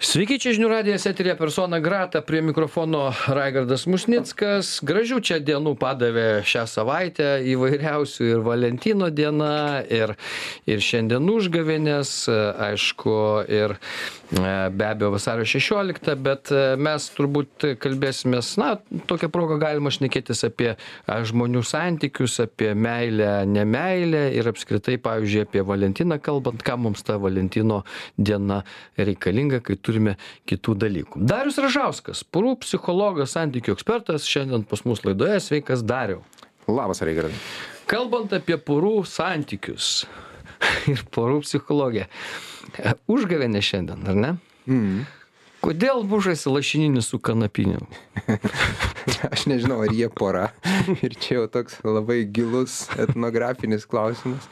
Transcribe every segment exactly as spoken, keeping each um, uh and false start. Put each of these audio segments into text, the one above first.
Sveiki, čia žinių radijas eteryje persona grata, prie mikrofono Raigardas Musnickas. Gražių čia dienų padavė šią savaitę, įvairiausių ir Valentino diena, ir, ir šiandien užgavėnės, aišku, ir be abejo vasario šešiolikta, bet mes turbūt kalbėsimės, na, tokią progą galima šnekėtis apie žmonių santykius, apie meilę, nemeilę ir apskritai, pavyzdžiui, apie Valentiną kalbant, ką mums ta Valentino diena reikalinga, kai turime kitų dalykų. Darius Ražauskas, porų psichologas, santykių ekspertas, šiandien pas mus laidoje. Sveikas, Dariau. Labas, Raigardai. Kalbant apie porų santykius ir porų psichologiją, užgavėnė šiandien, ar ne? Mm. Kodėl mušasi lašininis su kanapiniu? Aš nežinau, ar jie pora. Ir čia jau toks labai gilus etnografinis klausimas.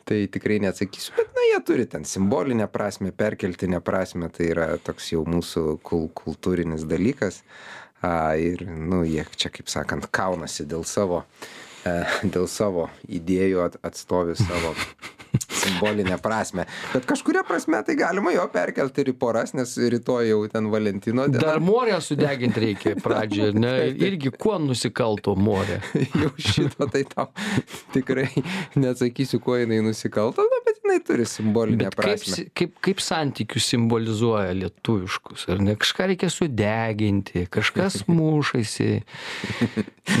Tai tikrai neatsakysiu, bet na, jie turi ten simbolinę prasme, perkeltinę prasme, tai yra toks jau mūsų kul kultūrinis dalykas. A, ir, nu, jie čia, kaip sakant, kaunasi dėl savo, e, dėl savo idėjų, at, atstovi savo simbolinę prasme. Bet kažkuria prasme tai galima jo perkelti ir į poras, nes rytoj jau ten Valentino diena. Dar morę sudeginti reikia pradžioje, ne? Irgi kuo nusikalto morė? Jau šito tai tau tikrai neatsakysiu, kuo jinai nusikalto, na, bet jinai turi simbolinę Bet kaip, prasme. si- kaip, kaip santykius simbolizuoja lietuviškus, ar ne? Kažką reikia sudeginti, kažkas mušasi.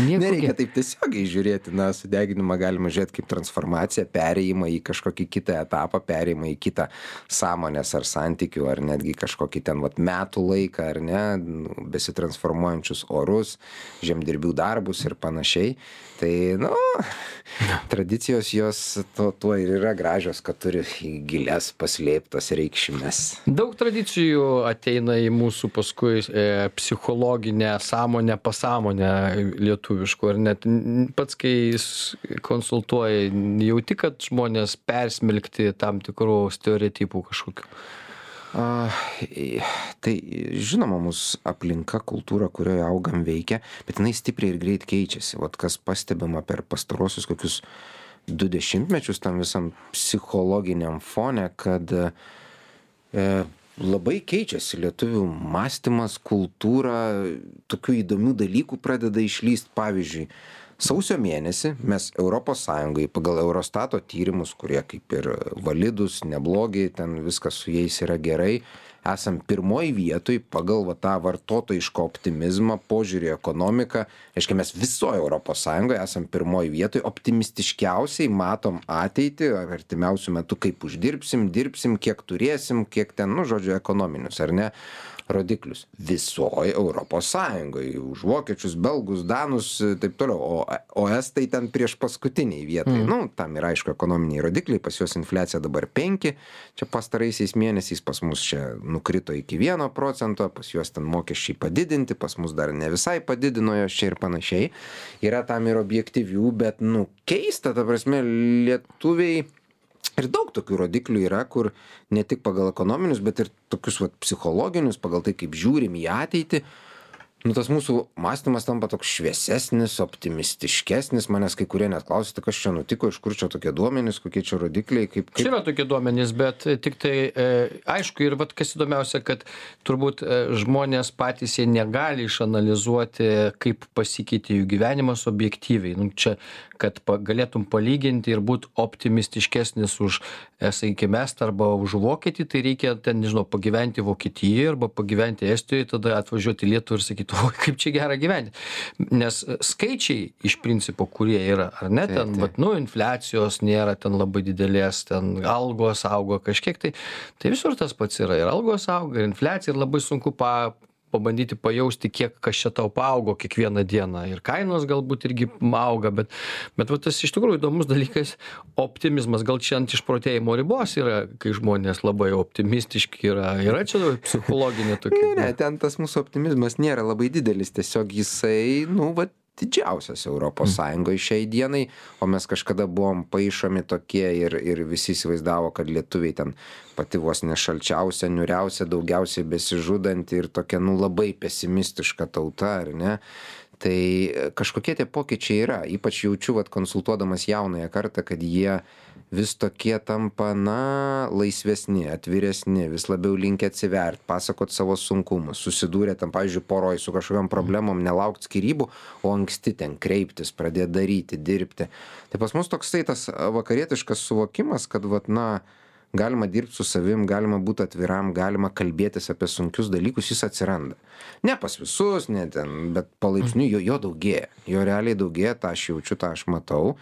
Nieko Nereikia ge- taip tiesiogiai žiūrėti, na, sudeginimą galima žiūrėti kaip transformaciją, perėjimą į kažkokį kitą etapą, perėjimą į kitą sąmonės ar santykių, ar netgi kažkokį ten vat, metų laiką, ar ne, nu, besitransformuojančius orus, žemdirbių darbus ir panašiai. Tai, nu, tradicijos jos to, tuo ir yra gražios, kad turi gilias paslėptas reikšmes. Daug tradicijų ateina į mūsų paskui e, psichologinę sąmonę, pasąmonę lietuviškų, ar net n- pats, kai s- konsultuoji, jauti, kad žmonės persmelkti tam tikrų stereotipų kažkokių. A, i- tai žinoma, mūsų aplinka, kultūra, kurioje augam veikia, bet jinai stipriai ir greit keičiasi. Vat kas pastebima per pastarosius kokius du dešimtmečius tam visam psichologiniam fone, kad e, labai keičiasi lietuvių mąstymas, kultūra, tokių įdomių dalykų pradeda išlyst. Pavyzdžiui, sausio mėnesį mes Europos Sąjungai pagal Eurostato tyrimus, kurie kaip ir validus, neblogi, ten viskas su jais yra gerai, esam pirmoj vietoj pagal va, tą vartotojišką optimizmą, požiūrį į ekonomiką. Reiškia, mes visoje Europos Sąjungoje esam pirmoj vietoj, optimistiškiausiai matom ateitį, artimiausių metų, kaip uždirbsim, dirbsim, kiek turėsim, kiek ten, nu, žodžiu, ekonominius, ar ne, rodiklius. Visoje Europos Sąjungoje, už vokiečius, belgus, danus, taip toliau, o, o estai ten prieš paskutiniai vietai. Mm. Nu, tam yra, aišku, ekonominiai rodikliai, pas juos infliacija dabar penki, čia pastaraisiais mėnesiais, pas mus čia nukrito iki vieno procento, pas juos ten mokesčiai padidinti, pas mus dar ne visai padidino jos čia ir panašiai. Yra tam ir objektyvių, bet, nu, keista, ta prasme, lietuviai. Ir daug tokių rodiklių yra, kur ne tik pagal ekonominius, bet ir tokius vat, psichologinius, pagal tai, kaip žiūrim į ateitį. Nu, tas mūsų mąstymas tampa toks šviesesnis, optimistiškesnis. Manęs kai kurie net klausia, tai kas čia nutiko, iš kur čia tokie duomenys, kokie čia rodikliai. Kaip, kaip... Čia yra tokie duomenys, bet tik tai e, aišku ir vat, kas įdomiausia, kad turbūt e, žmonės patys jie negali išanalizuoti, kaip pasikeitė jų gyvenimas objektyviai. Nu, čia, kad pa, galėtum palyginti ir būti optimistiškesnis už, e, sakykime, Estą arba už Vokietį, tai reikia ten, nežinau, pagyventi Vokietijoje arba pagyventi Estijoje, tada atvažiuoti į Lietuvą ir sakyti, o kaip čia gera gyventi. Nes skaičiai iš principo, kurie yra, ar ne, ten, bet, nu, infliacijos nėra ten labai didelės, ten algos augo kažkiek, tai, tai visur tas pats yra. Ir algos auga, ir infliacija, ir labai sunku pa, pabandyti pajausti, kiek kas čia tau paaugo kiekvieną dieną. Ir kainos galbūt irgi auga, bet, bet va, tas iš tikrųjų įdomus dalykas - optimizmas. Gal čia ant išprotėjimo ribos yra, kai žmonės labai optimistiški yra. Yra čia psichologinė tokia. Ne, ne, ten tas mūsų optimizmas nėra labai didelis, tiesiog jisai, nu, va, didžiausias Europos Sąjungoje šiai dienai, o mes kažkada buvom paišomi tokie ir, ir visi įsivaizdavo, kad lietuviai ten pati vos nešalčiausia, niuriausia, daugiausiai besižudanti ir tokia, nu, labai pesimistiška tauta, ar ne? Tai kažkokie tie pokyčiai yra, ypač jaučiu, vat, konsultuodamas jaunąją kartą, kad jie vis tokie tampa, na, laisvesni, atviresni, vis labiau linkę atsivert, pasakot savo sunkumus, susidūrė tam, pavyzdžiui, poroj su kažkokiam problemom, nelaukt skyrybų, o anksti ten kreiptis, pradėti daryti, dirbti. Tai pas mus toksai tas vakarietiškas suvokimas, kad, vat, na, galima dirbti su savim, galima būti atviram, galima kalbėtis apie sunkius dalykus, jis atsiranda. Ne pas visus, ne ten, bet palaipsniui jo, jo daugėja. Jo realiai daugėja, tą aš jaučiu, tą aš matau.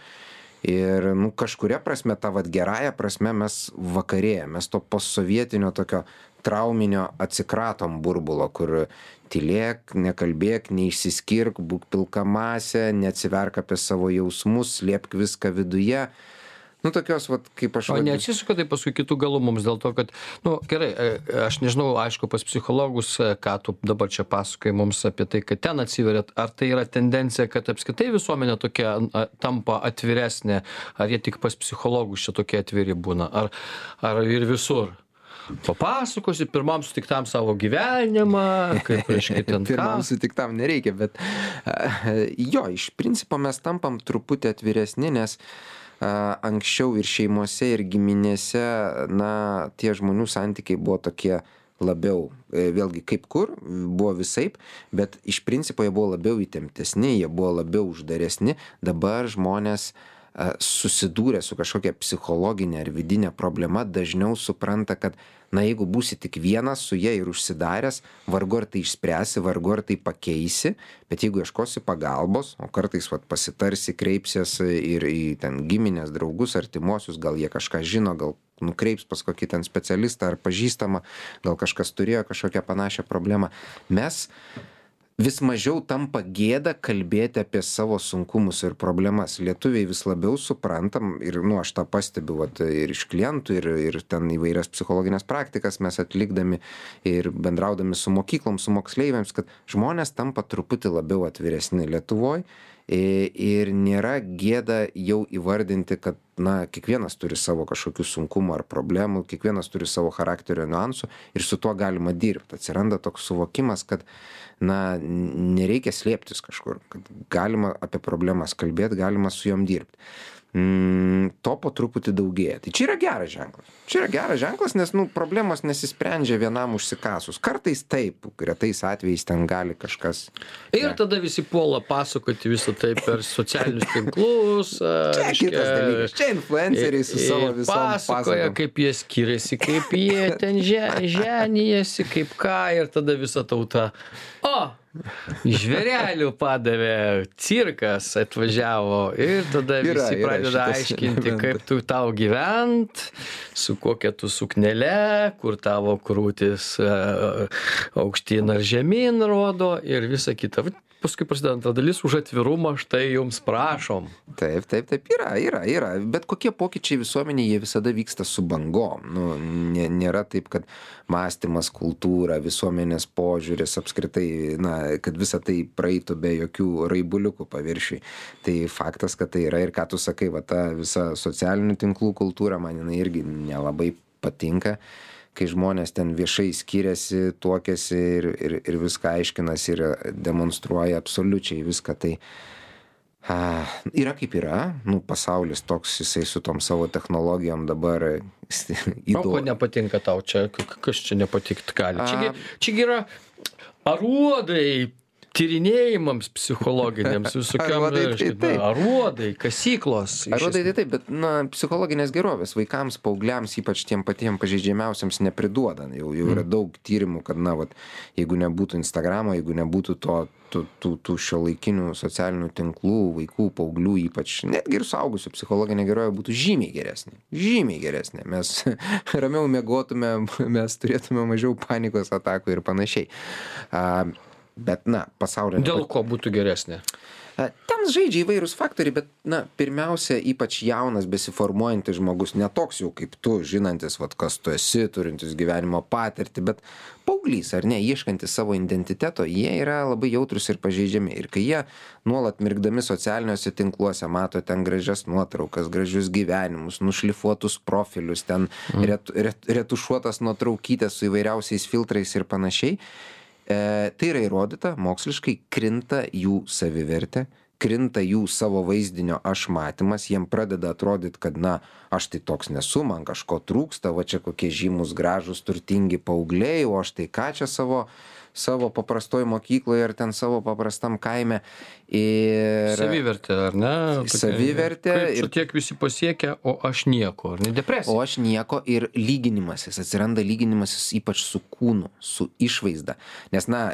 Ir, nu, kažkuria prasme, tą vat gerąją prasme mes vakarėjame, mes to postsovietinio tokio trauminio atsikratom burbulo, kur tylėk, nekalbėk, neišsiskirk, būk pilka masė, neatsiverk apie savo jausmus, slėpk viską viduje. Nu, tokios, vat, kaip aš... O neatsisuka tai paskui kitų galų mums dėl to, kad, nu, gerai, aš nežinau, aišku, pas psichologus, ką tu dabar čia pasakai mums apie tai, kad ten atsiverėt, ar tai yra tendencija, kad apskritai visuomenė tokia tampa atviresnė, ar jie tik pas psichologus čia tokie atviri būna, ar, ar ir visur? Papasakosi pirmam sutiktam savo gyvenimą, kaip reiškia ten ką. Pirmam sutiktam nereikia, bet jo, iš principo mes tampam truputį atviresni, nes anksčiau ir šeimose, ir giminėse, na, tie žmonių santykiai buvo tokie labiau, vėlgi kaip kur, buvo visaip, bet iš principo jie buvo labiau įtemptesni, jie buvo labiau uždaresni. Dabar žmonės susidūrę su kažkokia psichologinė ar vidinė problema dažniau supranta, kad, na, jeigu būsi tik vienas su jie ir užsidaręs, vargu ar tai išspręsi, vargu ar tai pakeisi, bet jeigu ieškosi pagalbos, o kartais vat, pasitarsi, kreipsies ir į ten giminės, draugus, artimuosius, gal jie kažką žino, gal nukreips pas kokį ten specialistą ar pažįstamą, gal kažkas turėjo kažkokią panašią problemą. Mes vis mažiau tampa gėda kalbėti apie savo sunkumus ir problemas. Lietuviai vis labiau suprantam, ir, nu, aš tą pastebiu vat, ir iš klientų, ir, ir ten įvairias psichologinės praktikas mes atlikdami ir bendraudami su mokyklom, su moksleiviams, kad žmonės tampa truputį labiau atviresni Lietuvoj ir nėra gėda jau įvardinti, kad, na, kiekvienas turi savo kažkokių sunkumų ar problemų, kiekvienas turi savo charakterio niuansų ir su tuo galima dirbti. Atsiranda toks suvokimas, kad, na, nereikia slėptis kažkur, kad galima apie problemas kalbėti, galima su jom dirbti. Mm, to po truputį daugėja. Tai čia yra geras ženklas. Čia yra geras ženklas, nes, nu, problemos nesisprendžia vienam užsikasus. Kartais taip, retais atvejais ten gali kažkas... Ir ne. Tada visi puola pasakoti visą tai per socialinius tinklus. Čia reiškia, kitas dalykas. Čia influenceriai su savo visom pasakoja, pasakom. Kaip jie skiriasi, kaip jie ten ženijasi, kaip ką, ir tada visa tauta. O! Žvėrelių padavė, cirkas atvažiavo ir tada Yra, visi yra pradeda šitas aiškinti, elementas. kaip tu tau gyvent, su kokia tu suknele, kur tavo krūtis e, aukštyn ar žemyn rodo ir visa kita. Paskui prasideda antra dalis, už atvirumą štai jums prašom. Taip, taip, taip, yra, yra, yra. Bet kokie pokyčiai visuomenėje, jie visada vyksta su bangom. Nu, nė, nėra taip, kad mąstymas, kultūra, visuomenės požiūris, apskritai, na, kad visa tai praeitų be jokių raibuliukų paviršiui. Tai faktas, kad tai yra ir ką tu sakai, va, ta visa socialinių tinklų kultūra, man jinai irgi nelabai patinka, kai žmonės ten viešai skiriasi, tuokiasi ir, ir, ir viską aiškinasi ir demonstruoja absoliučiai viską. Tai a, yra kaip yra, nu, pasaulis toks, jisai su tom savo technologijom dabar įdomu. O ko nepatinka tau čia, kas čia nepatikt gali? Čiagi, čiagi yra aruodai tyrinėjimams psichologiniams visokiam, Aruodai, tai reiškia, taip. aruodai, kasyklos. iš Aruodai, tai esmės. taip, bet, na, psichologinės gerovės vaikams, paaugliams, ypač tiem patiem pažeidžiamiausiams nepriduoda. Jau, jau yra daug tyrimų, kad, na, vat, jeigu nebūtų Instagramo, jeigu nebūtų to, tų, tų, tų šiuolaikinių socialinių tinklų, vaikų, paauglių, ypač netgi ir suaugusių, psichologinė gerovė būtų žymiai geresnė. Žymiai geresnė. Mes ramiau miegotume, mes turėtume mažiau panikos atakų ir panašiai. A, bet, na, pasaulyje... Dėl ko būtų geresnė? Ten žaidžia įvairūs faktoriai, bet, na, pirmiausia, ypač jaunas, besiformuojantis žmogus, ne toks jau kaip tu, žinantis, vat, kas tu esi, turintis gyvenimo patirtį, bet paauglys, ar ne, ieškantis savo identiteto, jie yra labai jautrus ir pažeidžiami. Ir kai jie nuolat mirkdami socialiniuose tinkluose mato ten gražias nuotraukas, gražius gyvenimus, nušlifuotus profilius, ten mm. ret, ret, retušuotas nuotraukytės su įvairiausiais filtrais ir panašiai, E, tai yra įrodyta, moksliškai krinta jų savivertė, krinta jų savo vaizdinio aš matymas, jiem pradeda atrodyti, kad na, aš tai toks nesu, man kažko trūksta, va čia kokie žymus, gražus, turtingi paaugliai, o aš tai ką čia savo savo paprastoj mokykloje ar ten savo paprastam kaime. Ir... Savivertė, ar ne? Savivertė. Ir tiek visi pasiekia, o aš nieko, ar ne depresija? O aš nieko ir lyginimasis, atsiranda lyginimasis ypač su kūnu, su išvaizda. Nes, na,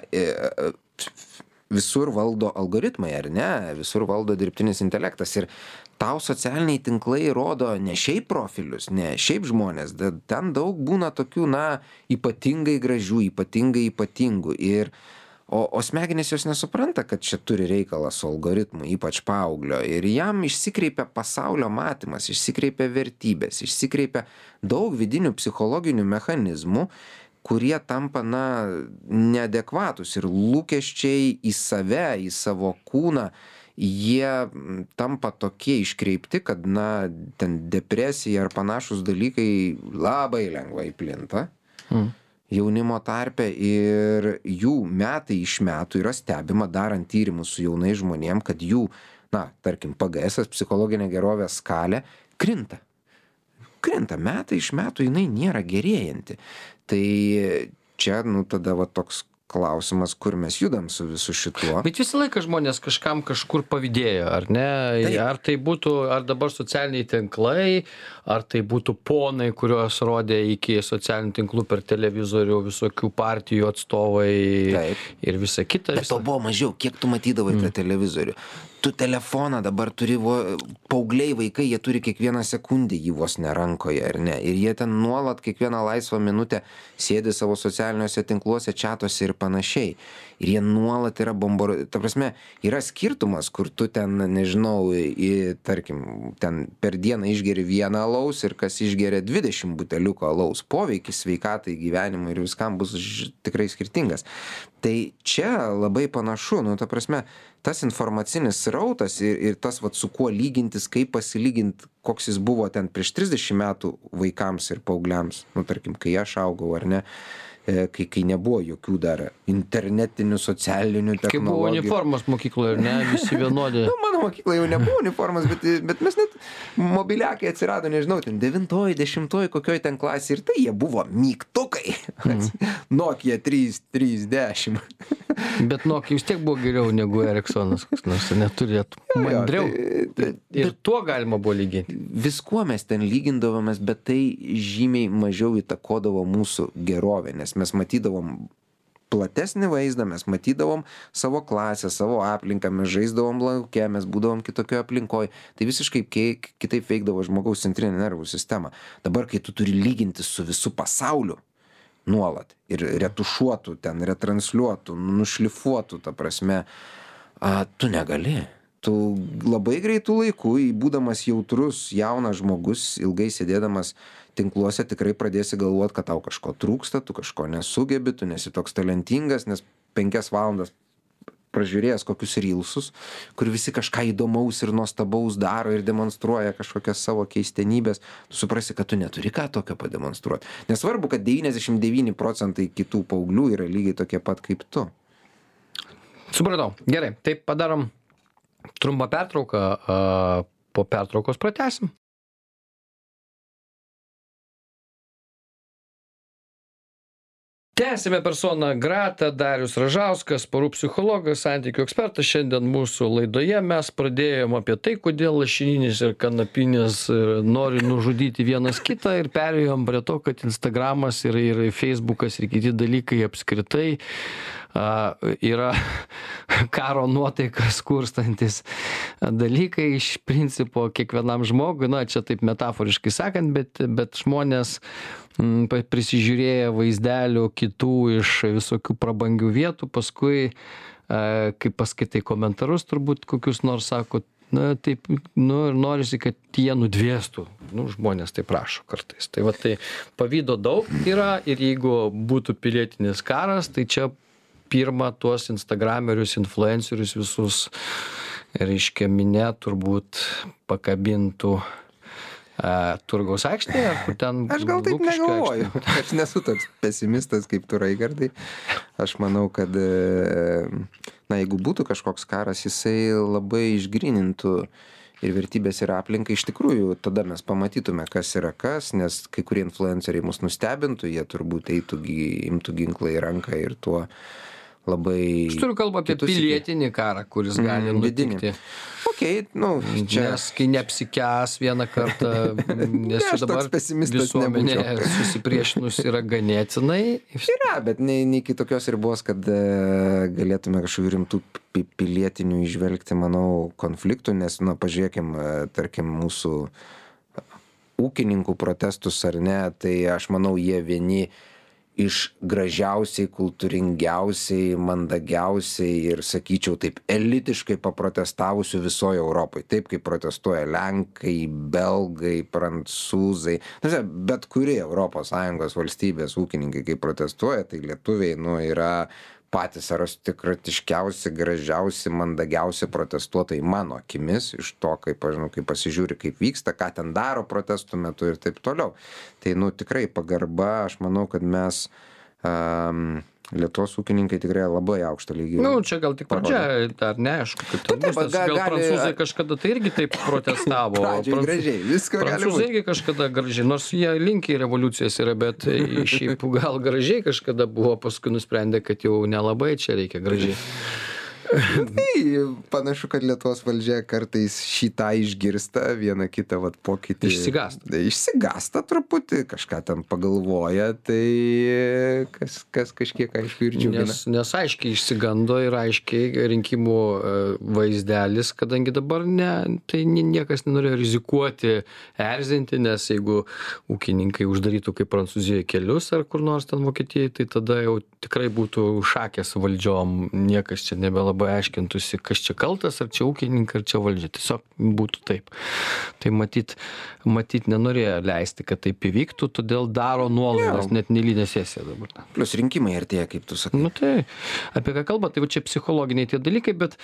visur valdo algoritmai, ar ne? Visur valdo dirbtinis intelektas ir tau socialiniai tinklai rodo ne šiaip profilius, ne šiaip žmonės, ten daug būna tokių, na, ypatingai gražių, ypatingai ypatingų. Ir, o, o smegenys jos nesupranta, kad čia turi reikalą su algoritmu, ypač paauglio. Ir jam išsikreipia pasaulio matymas, išsikreipia vertybės, išsikreipia daug vidinių psichologinių mechanizmų, kurie tampa, na, neadekvatus ir lūkesčiai į save, į savo kūną, jie tampa tokie iškreipti, kad, na, ten depresija ar panašus dalykai labai lengvai plinta mm. jaunimo tarpe ir jų metai iš metų yra stebima darant tyrimus su jaunais žmonėm, kad jų, na, tarkim, P G S, psichologinė gerovės skalė, krinta. Krinta metai iš metų, jinai nėra gerėjanti. Tai čia, nu, tada va toks klausimas, kur mes judam su visu šituo. Bet visą laiką žmonės kažkam kažkur pavydėjo, ar ne? Taip. Ar tai būtų, ar dabar socialiniai tinklai, ar tai būtų ponai, kuriuos rodė iki socialinių tinklų per televizorių visokių partijų atstovai. Taip. Ir visa kita. Bet to buvo mažiau, kiek tu matydavai mm. tą televizorių. Tu telefoną dabar turi, paaugliai vaikai, jie turi kiekvieną sekundę jį vos ne rankoje, ar ne? Ir jie ten nuolat kiekvieną laisvą minutę sėdi savo socialiniuose tinkluose, čatuose ir panašiai. Ir jie nuolat yra bombarduojami. Ta prasme, yra skirtumas, kur tu ten, nežinau, į, tarkim, ten per dieną išgeri vieną alaus ir kas išgeria dvidešimt buteliukų alaus. Poveikis sveikatai, gyvenimui ir viskam bus ž... tikrai skirtingas. Tai čia labai panašu, nu, ta prasme, tas informacinis srautas ir, ir tas, vat, su kuo lygintis, kaip pasilyginti, koks jis buvo ten prieš trisdešimt metų vaikams ir paaugliams, nu, tarkim, kai aš augau, ar ne, kai, kai nebuvo jokių dar internetinių, socialinių technologijų. Kai buvo uniformos mokykloje, ne, visi vienodi. Nu, mano mokykloje jau nebuvo uniformos, bet, bet mes net mobiliakai atsirado, nežinau, ten devintoji, dešimtoji, kokioj ten klasė ir tai jie buvo mygtukai. Mm. Nokia trys trys dešimt. Bet Nokia vis tiek buvo geriau negu Ericssonas, nors neturėtų. Mandriau. Tai, tai, ir bet, tuo galima buvo lyginti. Viskuo mes ten lygindavomės, bet tai žymiai mažiau įtakodavo mūsų gerovę, nes mes matydavom platesnį vaizdą, mes matydavom savo klasę, savo aplinką, mes žaisdavom lauke, mes būdavom kitokioje aplinkoje. Tai visiškai kitaip veikdavo žmogaus centrinė nervų sistema. Dabar, kai tu turi lyginti su visu pasauliu, nuolat ir retušuotų ten, retransliuotų, nušlifuotų, ta prasme, a, tu negali. Tu labai greitų laikų, būdamas jautrus jaunas žmogus, ilgai sėdėdamas tinkluose, tikrai pradėsi galvoti, kad tau kažko trūksta, tu kažko nesugebi, tu nesi toks talentingas, nes penkias valandas pražiūrėjęs kokius rylsus, kur visi kažką įdomaus ir nuostabaus daro ir demonstruoja kažkokias savo keistenybės, tu suprasi, kad tu neturi ką tokio pademonstruoti. Nesvarbu, kad devyniasdešimt devyni procentai kitų paauglių yra lygiai tokie pat kaip tu. Supratau. Gerai, tai padarom trumpą pertrauką, po pertraukos pratęsim. Tęsime persona grata, Darius Ražauskas, porų psichologas, santykių ekspertas. Šiandien mūsų laidoje mes pradėjom apie tai, kodėl lašininis ir kanapinis nori nužudyti vienas kitą ir perėjom prie to, kad Instagramas ir, ir Facebookas ir kiti dalykai apskritai a, yra karo nuotaikas kurstantis dalykai iš principo kiekvienam žmogui, na čia taip metaforiškai sakant, bet, bet žmonės prisižiūrėję vaizdelių kitų iš visokių prabangių vietų, paskui, kai paskaitai komentarus, turbūt kokius nors sako, na, taip, nu, ir norisi, kad jie nudvėstų. Nu, žmonės taip prašo kartais. Tai va, tai pavydo daug yra ir jeigu būtų pilietinis karas, tai čia pirma tuos instagramerius, influencerius visus, reiškia, minė turbūt pakabintų a, Turgaus aikštėje, ar kur ten... Aš gal taip Lukiškių negalvoju. aikštėje? Aš nesu toks pesimistas kaip tu, Raigardai. Aš manau, kad, e, na, jeigu būtų kažkoks karas, jisai labai išgrynintų ir vertybės ir aplinką. Iš tikrųjų, tada mes pamatytume, kas yra kas, nes kai kurie influenceriai mus nustebintų, jie turbūt eitų, gi- imtų ginklą į ranką ir tuo labai... Aš turiu kalbą apie kitus iki- pilietinį karą, kuris gali Mm, vidinį. nutikti. Okei, nu, čia... Nes kai neapsikęs vieną kartą, nes Ne, čia aš dabar toks pesimistas visuomenė nebūčiau. susipriešinus yra ganėtinai. Yra, bet ne, ne iki tokios ribos, kad e, galėtume kažkokių rimtų pi- pilietinių išvelgti, manau, konfliktų, nes, na, pažiūrėkim, e, tarkim, mūsų ūkininkų protestus ar ne, tai aš manau, jie vieni iš gražiausiai, kultūringiausiai, mandagiausiai ir, sakyčiau, taip elitiškai paprotestavusių visoje Europoje. Taip, kaip protestuoja Lenkai, Belgai, Prancūzai. Na, bet kuri Europos Sąjungos valstybės ūkininkai, kai protestuoja, tai lietuviai, nu, yra patys aristokratiškiausi, gražiausi, mandagiausi protestuotojai mano akimis, iš to, kaip, aš žinau, kaip pasižiūri, kaip vyksta, ką ten daro protestų metu ir taip toliau. Tai, nu, tikrai pagarba, aš manau, kad mes um, Lietuvos ūkininkai tikrai labai aukštą lygį. Nu, čia gal tik pradžia, dar neaišku, kaip ten taip, bus, nes ga- gal gali- prancūzai kažkada tai irgi taip protestavo. Pradžioj Prancū- gražiai, visko gali Prancūzai būt. irgi kažkada gražiai, nors jie linkiai revoliucijas yra, bet šiaip gal gražiai kažkada buvo, paskui nusprendė, kad jau nelabai čia reikia gražiai. Tai panašu, kad Lietuvos valdžia kartais šitą išgirsta, vieną kitą vat, pokytį. Išsigąsta. Išsigąsta truputį, kažką ten pagalvoja, tai kas, kas kažkiek aišku ir džiugina. Nes, nes aiškiai išsigando ir aiškiai rinkimų e, vaizdelis, kadangi dabar ne, tai nie- niekas nenorėjo rizikuoti, erzinti, nes jeigu ūkininkai uždarytų kaip Prancūzijoje kelius ar kur nors ten Vokietijoje, tai tada jau tikrai būtų šakės valdžiom, niekas čia nebelabai aiškintųsi, kas čia kaltas, ar čia ūkininkai, ar čia valdžia. Tiesiog būtų taip. Tai matyt, matyt nenorėjo leisti, kad taip įvyktų, todėl daro nuolaidas, net nelinė sesija dabar. Plius rinkimai artėja, kaip tu sakai. Nu tai, apie ką kalba, tai va čia psichologiniai tie dalykai, bet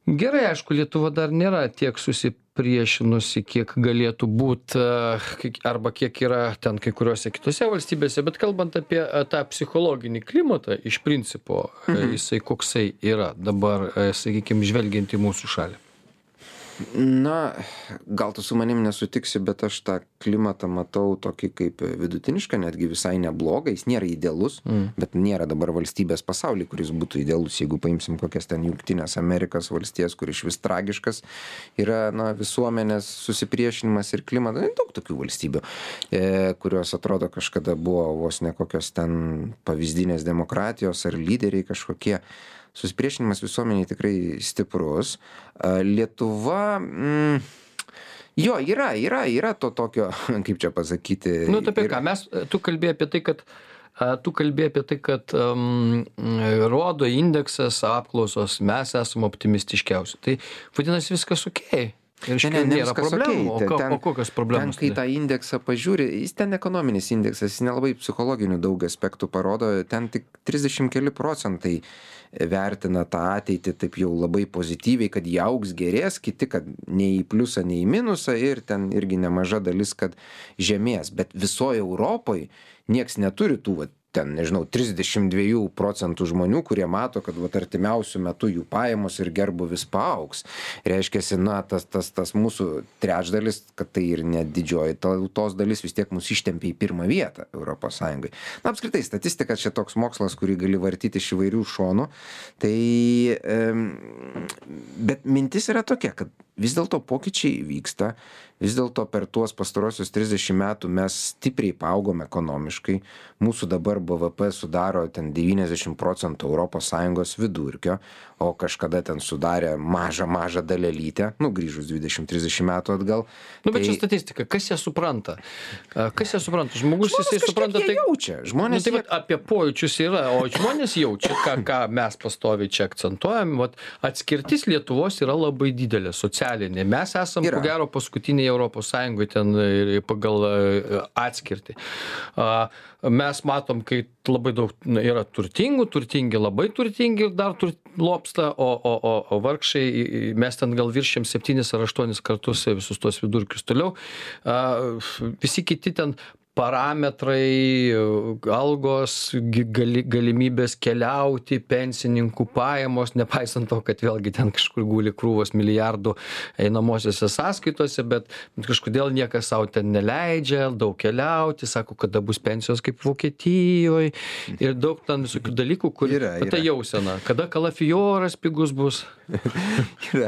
gerai, aišku, Lietuva dar nėra tiek susipriešinusi, kiek galėtų būti, arba kiek yra ten kai kuriuose kitose valstybėse, bet kalbant apie e, tą psichologinį klimatą, iš principo, e, jisai koksai yra dabar, sakykime, žvelgiant į mūsų šalį. Na, gal tu su manim nesutiksi, bet aš tą klimatą matau tokį kaip vidutinišką, netgi visai neblogą, jis nėra idealus, mm. bet nėra dabar valstybės pasaulyje, kuris būtų idealus, jeigu paimsim kokias ten Jungtinės Amerikos valstijas, kur iš vis tragiškas yra, na, visuomenės susipriešinimas ir klimatas, daug tokių valstybių, e, kurios atrodo kažkada buvo vos ne kokios ten pavyzdinės demokratijos ar lyderiai kažkokie. Susipriešinimas visuomeniai tikrai stiprus. Lietuva, mm, jo, yra, yra, yra to tokio, kaip čia pasakyti. Nu, tai apie yra- ką, mes, tu kalbėjai apie tai, kad a, tu kalbėjai apie tai, kad um, rodo indeksas, apklausos, mes esame optimistiškiausi. Tai vadinasi viskas okei. Ir Ne, šiandien ne, ne nėra viskas problemų. okei. O, ką- Ten- o kokios problemos? Ten, kai tada? tą indeksą pažiūri, jis ten ekonominis indeksas, jis nelabai psichologinių daug aspektų parodo, ten tik trisdešimt keli procentai vertina tą ateitį taip jau labai pozityviai, kad jie augs gerės, kiti, kad nei į pliusą, nei į minusą ir ten irgi nemaža dalis, kad žemės. Bet visoje Europoje nieks neturi tų, va, ten, nežinau, trisdešimt dva procentų žmonių, kurie mato, kad vat, artimiausių metų jų pajamos ir gerbuvis paaugs. Reiškiasi, na, tas, tas, tas mūsų trečdalis, kad tai ir net didžioji tautos dalis vis tiek mus ištempia į pirmą vietą Europos Sąjungai. Na, apskritai, statistika čia toks mokslas, kurį gali vartyti iš įvairių šonų. Tai, um, bet mintis yra tokia, kad vis dėlto pokyčiai vyksta, vis dėlto per tuos pastarosius trisdešimt metų mes stipriai paaugom ekonomiškai, mūsų dabar B V P sudaro ten devyniasdešimt procentų Europos Sąjungos vidurkio, o kažkada ten sudarė mažą, mažą dalelytę, nu, grįžus dvidešimt trisdešimt metų atgal. Nu, bet čia statistika, kas ją supranta? A, Kas ją supranta? Žmogus, Žmonės jisai kažkiek supranta jie tai... jaučia. Nu, Žmonės tai jie- vat, apie pojūčius yra, o žmonės jaučia, ką, ką mes pastoviai čia akcentuojam. Vat, atskirtis Lietuvos yra labai didelė, socialinė. Mes esam, Yra. ko gero, paskutiniai Europos Sąjungoje ten e, pagal e, atskirtį. A, Mes matom, kai labai daug na, yra turtingų, turtingi, labai turtingi ir dar tur, lopsta, o, o, o, o vargšai, mes ten gal viršėm septynis ar aštuonis kartus visus tos vidurkius toliau. Visi kiti ten parametrai, algos, gali, galimybės keliauti, pensininkų pajamos, nepaisant to, kad vėlgi ten kažkur guli krūvos milijardų einamosiose sąskaitose, bet kažkodėl niekas savo ten neleidžia, daug keliauti, sako, kada bus pensijos kaip Vokietijoje ir daug ten visokių dalykų, kur yra, yra. Tai jausena, kada kalafioras pigus bus. Yra.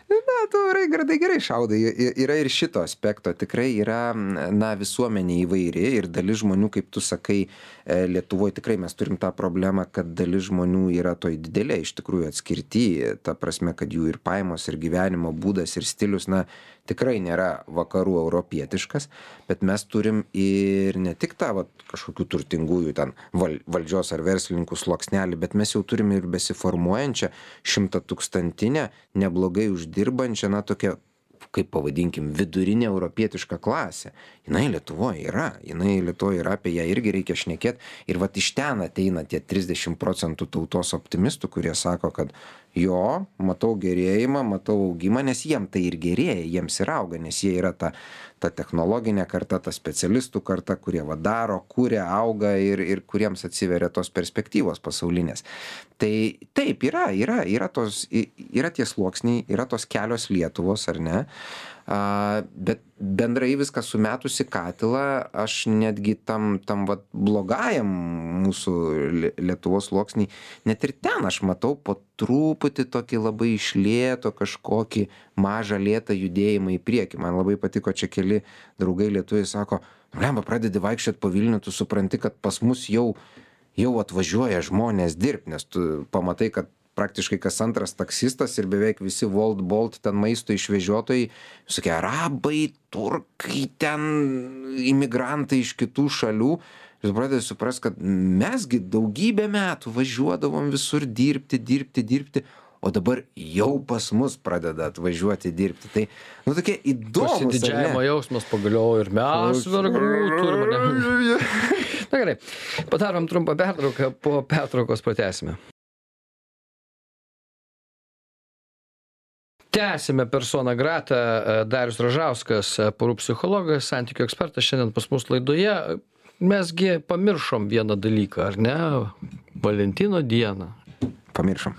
Na, tu, Raigardai, gerai šaudai. Yra ir šito aspekto. Tikrai yra, na, visuomenė įvairi ir dalis žmonių, kaip tu sakai, Lietuvoje tikrai mes turim tą problemą, kad dalis žmonių yra toj didelė, iš tikrųjų atskirti, ta prasme, kad jų ir pajamos, ir gyvenimo būdas, ir stilius, na, tikrai nėra vakarų europietiškas, bet mes turim ir ne tik tą vat, kažkokių turtingųjų ten val, valdžios ar verslininkų sluoksnelį, bet mes jau turim ir besiformuojančią šimtatūkstantinę, neblogai uždirbančią, na, tokią, kaip pavadinkim, vidurinė europietiška klasė. Jinai Lietuvoje yra, jinai Lietuvoje yra, apie ją irgi reikia šnekėti. Ir vat iš ten ateina tie trisdešimt procentų tautos optimistų, kurie sako, kad jo, matau gerėjimą, matau augimą, nes jiem tai ir gerėja, jiems ir auga, nes jie yra ta, ta technologinė karta, ta specialistų karta, kurie va daro, kuria, auga ir, ir kuriems atsiveria tos perspektyvos pasaulinės. Tai taip, yra, yra, yra, tos, yra tie sluoksniai, yra tos kelios Lietuvos, ar ne? A, bet bendrai viską sumetusi katilą, aš netgi tam, tam vat, blogajam mūsų Lietuvos sluoksnį, net ir ten aš matau po truputį tokį labai išlėto kažkokį mažą lėtą judėjimą į priekį. Man labai patiko, čia keli draugai lietuviai sako, lemba, pradedi vaikščioti po Vilnių, tu supranti, kad pas mus jau, jau atvažiuoja žmonės dirbti, nes tu pamatai, kad praktiškai kas antras taksistas ir beveik visi Wolt, Bolt, ten maisto išvežiotojai, visokie arabai, turkai, ten imigrantai iš kitų šalių. Jūs pradėte suprast, kad mesgi daugybę metų važiuodavom visur dirbti, dirbti, dirbti, o dabar jau pas mus pradeda atvažiuoti dirbti. Tai, nu, tokie įdomus. Pasididžiavimo jausmas pagaliau ir mes vergų turime. Na gerai, padarom trumpą pertrauką, po pertraukos pratęsime. Tęsime persona grata, Darius Ražauskas, porų psichologas, santykių ekspertas, šiandien pas mus laidoje. Mesgi pamiršom vieną dalyką, ar ne? Valentino dieną. Pamiršom.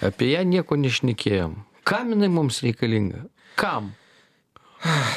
Apie ją nieko nešnekėjom. Kam jinai mums reikalinga? Kam?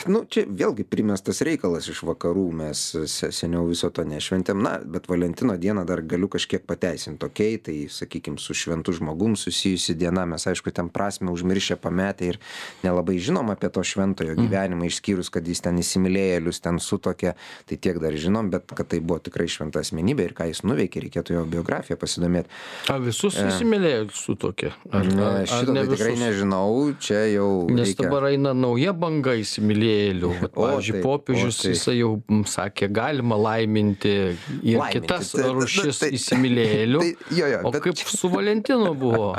Nu, čia vėlgi primestas reikalas iš vakarų, mes seniau viso to nešventėm, na, bet Valentino dieną dar galiu kažkiek pateisinti, okei, okay, tai, sakykime, su šventu žmogum susijusi diena, mes, aišku, ten prasme užmiršę pametę ir nelabai žinom apie to šventojo gyvenimą, išskyrus, kad jis ten įsimylėjėlius ten sutokė, tai tiek dar žinom, bet kad tai buvo tikrai šventa asmenybė ir ką jis nuveikė, reikėtų jo biografiją pasidomėti. A visus e... įsimylėjėlius sutokė? Ar, ne, ar, šito ar ne tai tikrai nežinau, čia jau Nes reikia... dabar eina nauja banga įsimylėjėlių. Pavyzdžiui, popiežius jisai jau sakė, galima laiminti ir laiminti, kitas tai, rūšis tai, įsimylėjėlių. Tai, jo, jo, o bet... kaip su Valentinu buvo?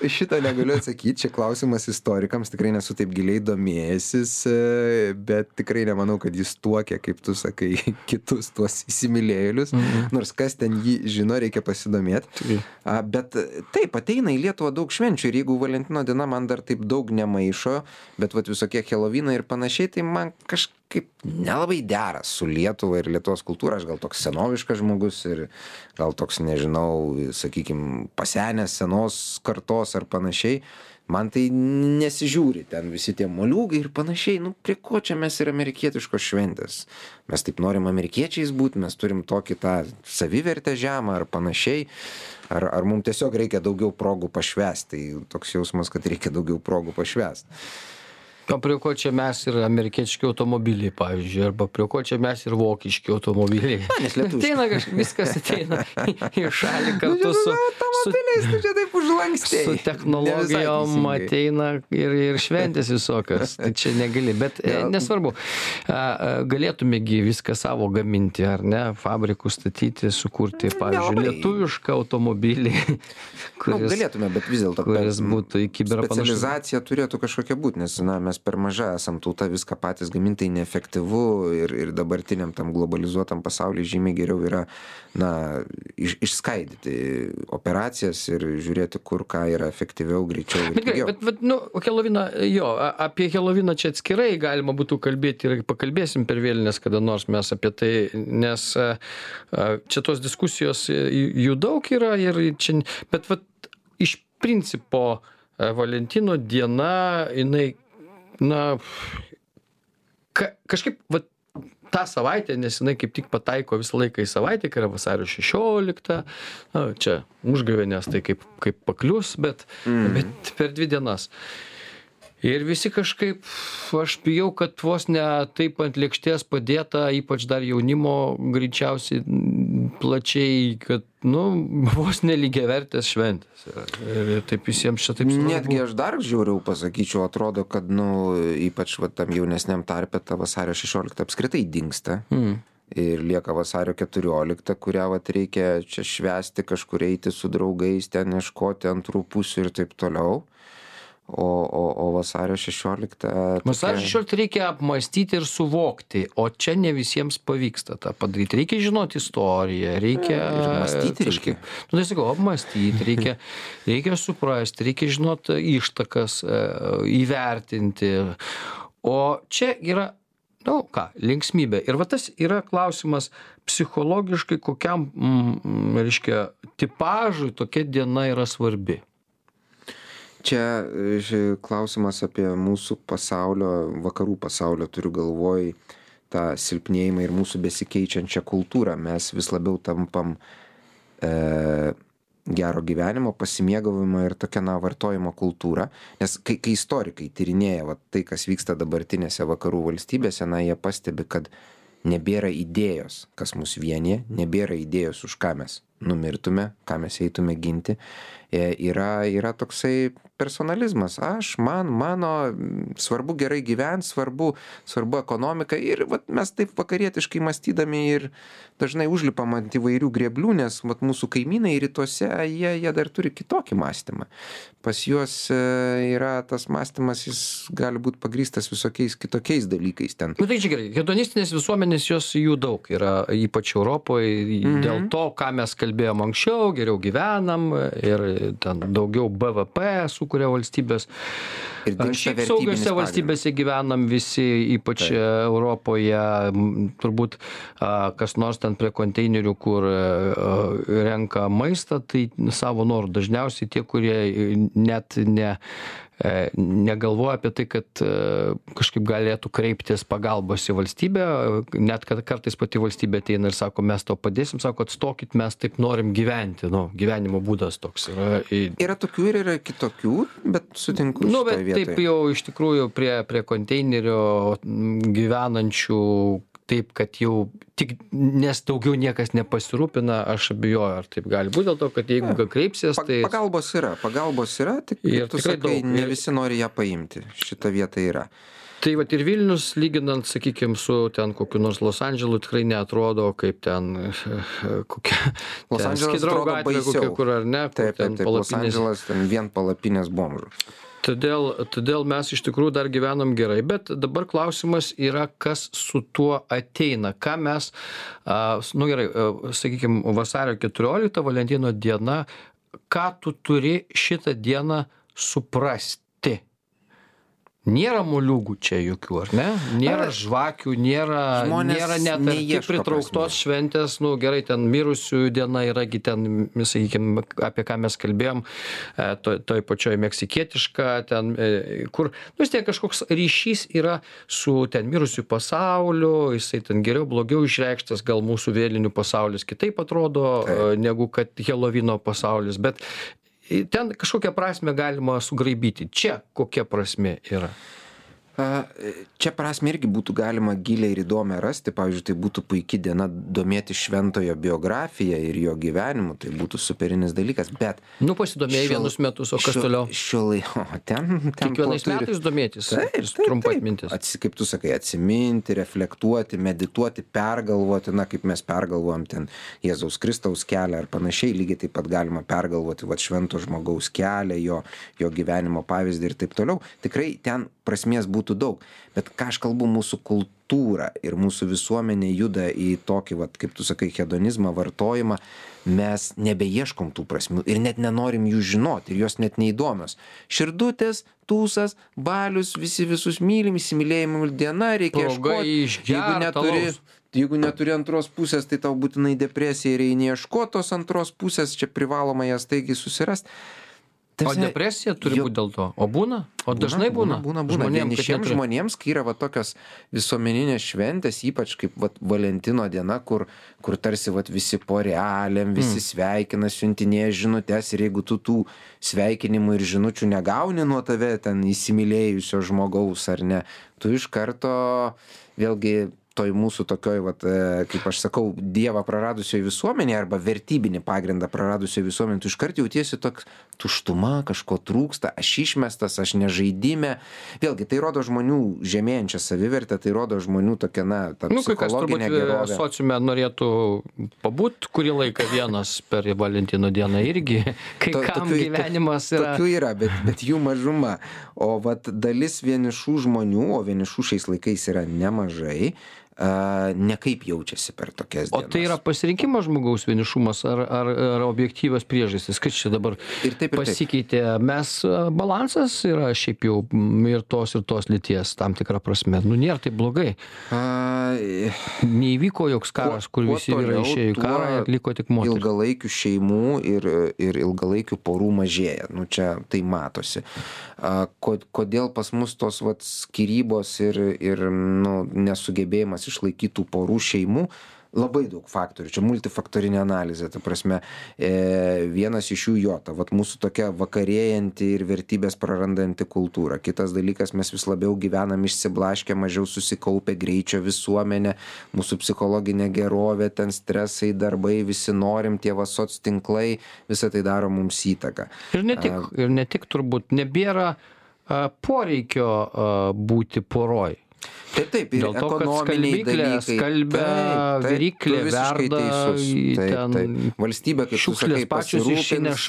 Šitą negaliu atsakyti, čia klausimas istorikams, tikrai nesu taip giliai domėjęsis, bet tikrai nemanau, kad jis tuokė, kaip tu sakai, kitus tuos įsimylėjėlius, mhm. nors kas ten jį žino, reikia pasidomėti. Tai. Bet taip, ateina į Lietuvą daug švenčių ir jeigu Valentino diena man dar taip daug nemaišo, bet vat visokie Helovynai ir panašiai, tai man kažkaip nelabai dera su Lietuva ir Lietuvos kultūra. Aš gal toks senoviškas žmogus ir gal toks, nežinau, sakykime, pasenęs senos kartos ar panašiai. Man tai nesižiūri ten visi tie moliūgai ir panašiai. Nu, prie ko čia mes ir amerikietiškos šventės? Mes taip norim amerikiečiais būti, mes turim tokį tą savivertę žemą ar panašiai. Ar, ar mums tiesiog reikia daugiau progų pašvęsti? Tai toks jausmas, kad reikia daugiau progų pašvęsti. O prie ko čia mes ir amerikietiški automobiliai, pavyzdžiui, arba prie ko čia mes ir vokiški automobiliai. Na, nes lietuviški. Ateina kažkas, viskas ateina į šalį kartu su... Automobiliais, tu čia taip užlankstėjai. Su technologijom ateina ir, ir šventės visokios. Tai čia negali, bet ja. nesvarbu. Galėtumėgi viską savo gaminti, ar ne? Fabrikų statyti, sukurti, pavyzdžiui, Nelabai. lietuvišką automobilį, kuris, nu, galėtume, bet vis dėlto kuris būtų į kiberą panašus. Specializacija turėtų kažkokia būti, nes, na, mes mes per maža esam tauta viską patys gaminti, tai neefektyvu ir, ir dabartiniam tam globalizuotam pasaulyje žymiai geriau yra, na, iš, išskaidyti operacijas ir žiūrėti, kur ką yra efektyviau, greičiau ir pigiau. Bet, bet, nu, Heloviną, jo, apie Heloviną čia atskirai galima būtų kalbėti ir pakalbėsim per vėlinės kada nors mes apie tai, nes čia tos diskusijos jų daug yra ir čia, bet vat, iš principo Valentino diena, jinai, na, ka, kažkaip, va, tą savaitę, nes jinai kaip tik pataiko visą laiką į savaitę, kai yra vasario šešioliktą, na, čia užgavėnės, tai kaip, kaip paklius, bet, mm. bet per dvi dienas. Ir visi kažkaip, aš bijau, kad vos ne taip ant lėkštės padėta, ypač dar jaunimo greičiausiai plačiai, kad, nu, vos nelygiavertės šventės. Ir taip visiems čia taip svarbu. Netgi aš dar žiauriau pasakyčiau, atrodo, kad, nu, ypač va, tam jaunesniam tarpe ta vasario šešiolikta apskritai dingsta. Mm. Ir lieka vasario keturiolikta, kurią vat reikia čia švęsti, kažkur eiti su draugais, ten ieškoti antrų pusių ir taip toliau. O, o, o vasario šešiolikta... Vasario šešioliktą reikia apmąstyti ir suvokti, o čia ne visiems pavyksta tą padaryti. Reikia žinoti istoriją, reikia... Ir mąstyti reikia. Nu, tai sakau, apmąstyti, reikia, reikia suprasti, reikia žinoti ištakas, įvertinti. O čia yra, nu ką, linksmybė. Ir va tas yra klausimas psichologiškai, kokiam, mm, reiškia, tipažui tokia diena yra svarbi. Čia klausimas apie mūsų pasaulio, vakarų pasaulio, turiu galvoj tą silpnėjimą ir mūsų besikeičiančią kultūrą. Mes vis labiau tampam e, gero gyvenimo, pasimėgavimo ir tokia, na, vartojimo kultūra. Nes kai, kai istorikai tyrinėja va, tai, kas vyksta dabartinėse vakarų valstybėse, na, jie pastebi, kad nebėra idėjos, kas mus vienyje, nebėra idėjos, už ką mes numirtume, ką mes eitume ginti. E, yra, yra toksai personalizmas. Aš, man, mano, svarbu gerai gyventi, svarbu, svarbu ekonomika. Ir vat, mes taip vakarietiškai mąstydami ir dažnai užlipam ant įvairių grėblių, nes vat, mūsų kaimynai rytuose, jie, jie dar turi kitokį mąstymą. Pas juos e, yra tas mąstymas, jis gali būti pagrįstas visokiais kitokiais dalykais ten. Nu tai čia gerai, hedonistinės visuomenės, jos jų daug yra, ypač Europoje, mm-hmm. dėl to, ką mes kalbėjom anksčiau, geriau gyvenam ir ten daugiau B V P sukuria valstybės. Šiaip saugiose valstybėse gyvenam visi, ypač Taip. Europoje, turbūt kas nors ten prie konteinerių, kur renka maistą, tai savo norų. Dažniausiai tie, kurie net ne negalvoja apie tai, kad kažkaip galėtų kreiptis pagalbos į valstybę, net kad kartais pati valstybė ateina ir sako, mes to padėsim, sako, atstokit, mes taip norim gyventi, nu, gyvenimo būdas toks yra. Yra tokių ir yra kitokių, bet sutinku nu, šitoje vietoje. Taip jau iš tikrųjų prie, prie konteinerio gyvenančių taip, kad jau tik, nes daugiau niekas nepasirūpina, aš abejoju, ar taip gali būti, dėl to, kad jeigu ja. kreipsies, tai... Pagalbos yra, pagalbos yra, tik ir tu sakai, daug. Ne visi nori ją paimti, šita vieta yra. Tai vat ir Vilnius, lyginant, sakykime, su ten kokiu nors Los Andželu, tikrai neatrodo kaip ten kokia... Los Andželas atrodo baisiau. Kokia, kur ar ne, taip, taip, taip, Los Andželas ten vien palapinės bomžų. Todėl, todėl mes iš tikrųjų dar gyvenam gerai, bet dabar klausimas yra, kas su tuo ateina. Ką mes, nu gerai, sakykime, vasario keturiolikta, Valentino diena, ką tu turi šitą dieną suprasti? Nėra moliūgų čia jokių, ar ne? Nėra žvakių, nėra, nėra net arti pritrauktos šventės, nu gerai, ten mirusiųjų diena yragi ten, sakykime, apie ką mes kalbėjom, toj, toj pačioj meksikietiška, ten, kur, nu vis tiek kažkoks ryšys yra su ten mirusiųjų pasauliu, jisai ten geriau, blogiau išreikštas, gal mūsų vėlinių pasaulis kitaip atrodo, Taip. negu kad Helovino pasaulis, bet ten kažkokią prasme galima sugraibyti. Čia kokia prasmė yra? Čia prasme irgi būtų galima giliai ir įdomiai rasti. Pavyzdžiui, tai būtų puikia diena domėti šventojo biografiją ir jo gyvenimu. Tai būtų superinis dalykas, bet... Nu, pasidomėjai vienus metus, o kas toliau? Šiolai, o ten... ten Kiekvienais metais domėtis. Taip, taip, trumpai atmintis. Atsi, kaip tu sakai, atsiminti, reflektuoti, medituoti, pergalvoti, na, kaip mes pergalvojam ten Jėzaus Kristaus kelią ar panašiai, lygiai taip pat galima pergalvoti, va, švento žmogaus kelią, jo, jo gyvenimo pavyzdį ir taip toliau. Tikrai ten prasmės būtų būtų daug. Bet ką aš kalbu, mūsų kultūra ir mūsų visuomenė juda į tokį, vat, kaip tu sakai, hedonizmą, vartojimą, mes nebeieškom tų prasmių ir net nenorim jų žinoti ir jos net neįdomios. Širdutės, tūsas, balius, visi visus mylim, įsimylėjimų diena, reikia ieškoti. Jeigu neturi, jeigu neturi antros pusės, tai tau būtinai depresija ir eini ieškoti tos antros pusės, čia privaloma ją staigiai susirast. O depresija turi būti dėl to? O būna? O dažnai būna? Būna, būna. Vienišiems žmonėms, kai yra va tokios visuomeninės šventės, ypač kaip va Valentino diena, kur, kur tarsi va visi porelėm, visi mm. sveikina, siuntinėja žinutes ir jeigu tu tų sveikinimų ir žinučių negauni nuo tave ten įsimylėjusio žmogaus ar ne, tu iš karto vėlgi toj mūsų tokioj, vat, kaip aš sakau, Dievą praradusioje visuomenėje arba vertybinį pagrindą praradusioje visuomenėje, tu iškart jautiesi toks tuštuma, kažko trūksta, aš išmestas, aš nežaidime. Vėlgi, tai rodo žmonių žemėjančią savivertę, tai rodo žmonių tokia, na, ta nu, psichologinė gerovė. Sociume norėtų pabūt kurį laiką vienas per Valentino dieną irgi, kai to, kam tokių, gyvenimas yra. Tokių yra, bet, bet jų mažuma. O vat dalis vienišų žmonių, o vienišų šiais laikais yra nemažai, Uh, nekaip jaučiasi per tokias dienas. O tai yra pasirinkimas žmogaus vienišumas ar, ar, ar objektyvios priežastys? Kas čia dabar ir taip, ir pasikeitė? Taip. Mes balansas yra šiaip jau ir tos ir tos lyties tam tikrą prasme. Nu, nėra taip blogai. Uh, Neįvyko joks karas, kuo, kur visi vyrai išėjo į karą ir liko tik moterys. Ilgalaikių šeimų ir, ir ilgalaikių porų mažėja. Nu, čia tai matosi. Uh, kodėl pas mus tos vat, skyrybos ir, ir nu, nesugebėjimas išlaikytų porų šeimų, labai daug faktorių, čia multifaktorinė analizė, ta prasme, e, vienas iš jų jo, ta, vat mūsų tokia vakarėjanti ir vertybės prarandanti kultūra. Kitas dalykas, mes vis labiau gyvenam išsiblaškę, mažiau susikaupę, greičio visuomenė, mūsų psichologinė gerovė, ten stresai, darbai, visi norim, tie va soc tinklai, visą tai daro mums įtaką. Ir ne tik, a, ir ne tik turbūt, nebėra a, poreikio a, būti poroj. Taip, taip, ir dėl to, kad ekonominiai dalykai. Skalbia, viryklė, verda, taip, ten taip. Valstybė, kaip tu sakai, pasirūpins,